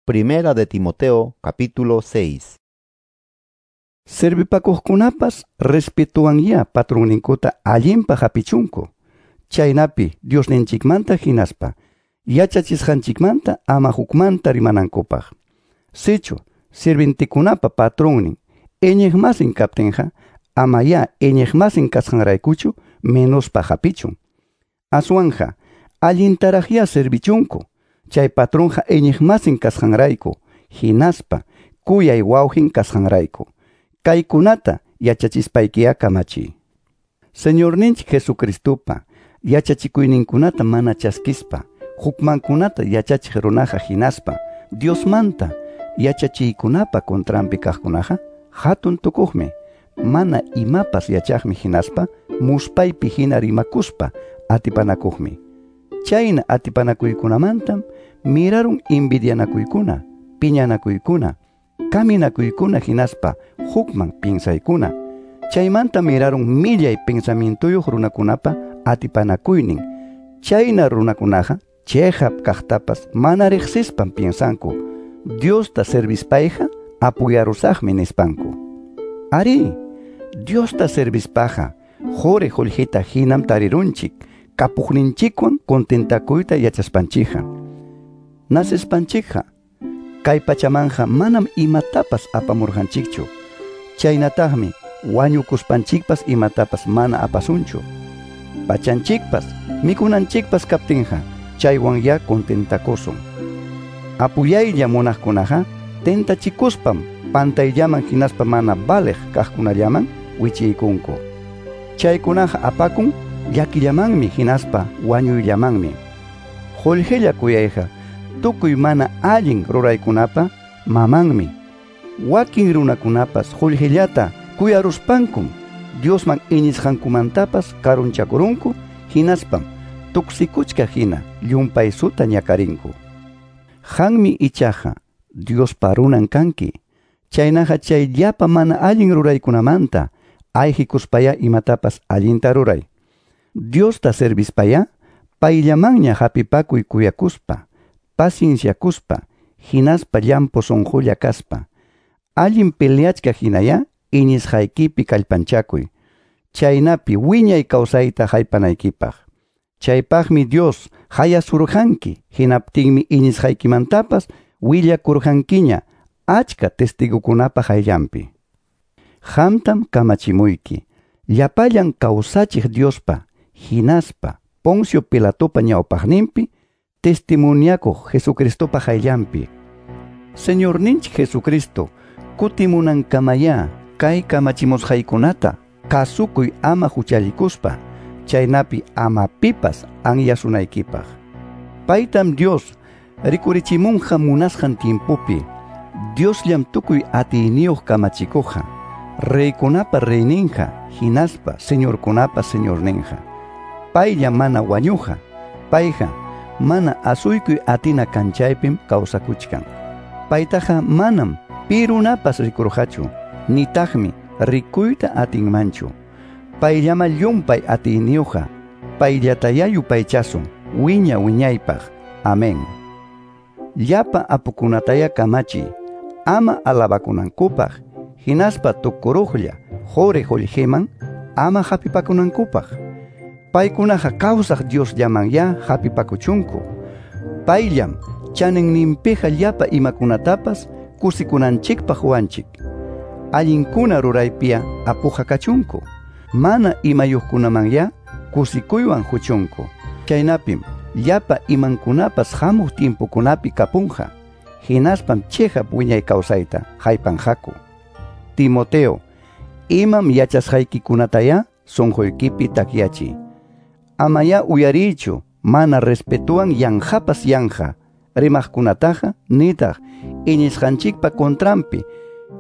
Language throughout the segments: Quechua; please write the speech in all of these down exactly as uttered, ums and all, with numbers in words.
Primera de Timoteo, capítulo seis. Servipakuqkunapas respetuwanyá patronninkuta allinpaq hapichunku. Chaynapi Diosninchikmanta hinaspa yachachisqanchikmanta ama hukmanta rimanankupaq. Sichu sirvintikunapa patronnin iñiqmasin kaptinqa amayá iñiqmasin kasqanraykuchu menospaq hapichun. Aswanja allintaraqyá servichunku. Chay patronqa iñiqmasin kasqanrayku hinaspa kuyay wawqin kasqanrayku. Kaykunata yachachispaykiyá kamachiy. Señorninchik Jesucristopa yachachikuyninkunata mana chaskispa hukmankunata yachachiq runaqa hinaspa Diosmanta yachachiykunapa contranpi kaqkunaqa hatun tukuqmi, mana imapas yachaqmi hinaspa muspaypi hina rimakuspa atipanakuqmi. Chayna atipanakuykunamantam mirarun envidianakuykuna, piñanakuykuna, kaminakuykuna hinaspa hukman pinsaykuna. Chaymanta mirarun millay pensamientuyuq runakunapa atipanakuynin. Chayna runakunaqa chiqap kaqtapas mana riqsispan piensanku, Diosta servispayqa apuyarusaqmi nispanku. Ari, Diosta servispaqa quri qullqita hinam tarirunchik, kapuqninchikwan contentakuyta yachaspanchikqa. Nacespanchikqa kay pachamanja manam imatapas apamurqanchikchu. Chaynataqmi wañukuspanchikpas imatapas mana apasunchu. Pachanchikpas mikunanchikpas kaptinqa chaywanyá contentakusun. Apuyaylla munaqkunaqa tentachikuspam pantayllaman hinaspa mana valeq kaqkunallaman wichiykunku. Chaykunaqa apakun llakillamanmi hinaspa wañuyllamanmi. Qullqilla kuyayqa tukuy mana allin ruraykunapa mamanmi. Wakin runakunapas qullqillata kuyaruspankum Diosman iñisqankumantapas karunchakurunku hinaspam tuksikuchka hina llumpaysuta ñakarinku. Qanmi ichaqa Diospa runan kanki. Chaynaqa chay llapa mana allin ruraykunamanta ayqikuspayá imatapas allinta ruray. Diosta servispayá payllamanña hapipakuy kuyakuspa, pacienciakuspa, hinaspa llampu sunqulla kaspa. Allin peleachka hinayá iñisqaykipi kallpanchakuy. Chaynapi wiñay kawsayta haypanaykipaq. Chaypaqmi Dios hayasurqanki, hinaptinmi iñisqaykimantapas willakurqankiña achka testigukunapa hayllanpi. Qamtam kamachimuyki, llapallan kawsachiq Diospa, hinaspa Poncio Pilatopa ñawpaqninpi testimoniakuq Jesucristopa hayllanpi. Señorninchik Jesucristo kutimunankamayá kay kamachimusqaykunata kasukuy ama huchallikuspa, chaynapi ama pipas anyasunaykipaq. Paytam Dios rikurichimunqa munasqan tiempopi. Diosllam tukuy atiyniyuq kamachikuqqa, reykunapa reyninqa, hinaspa señorkunapa señorninqa. Paylla mana wañuqa, payqa mana asuykuy atina kanchaypim kawsakuchkan. Paytaqa manam pi runapas rikurqachu, nitaqmi rikuyta atinmanchu. Payllama llumpay atiyniyuqqa, payllatayá yupaychasun wiña wiñaypaq. Amén. Llapa apukunatayá kamachiy, ama alabakunankupaq, hinaspa tukuruqlla quri qullqiman ama hapipakunankupaq. Paykunaqa kawsaq Diosllamanyá hapipakuchunku. Payllam chaninninpiqa llapa imakunatapas kusikunanchikpaq huwanchik. Allinkuna ruraypiya apuqa kachunku. Mana imayuqkunamanyá kusikuywan huchunku. Chaynapim llapa imankunapas hamuq tiempokunapi kapunqa. Hinaspam chiqap wiñay kawsayta haypanqaku. Timoteo, imam yachasqaykikunatayá sunquykipi takyachiy. Amayá uyariychu mana respetuwan yanqapas yanqa rimaqkunataqa nitaq iñisqanchikpa contranpi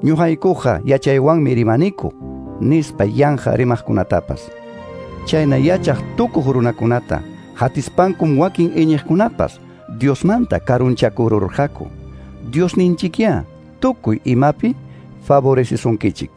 ñuqaykuqa yachaywanmi rimaniku nispa yanqa rimaqkunatapas. Chayna yachaq tukuq runakunata hatispankum wakin iñiqkunapas Diosmanta karunchakururqaku. Diosninchikyá tukuy imapi favorecesunkichik.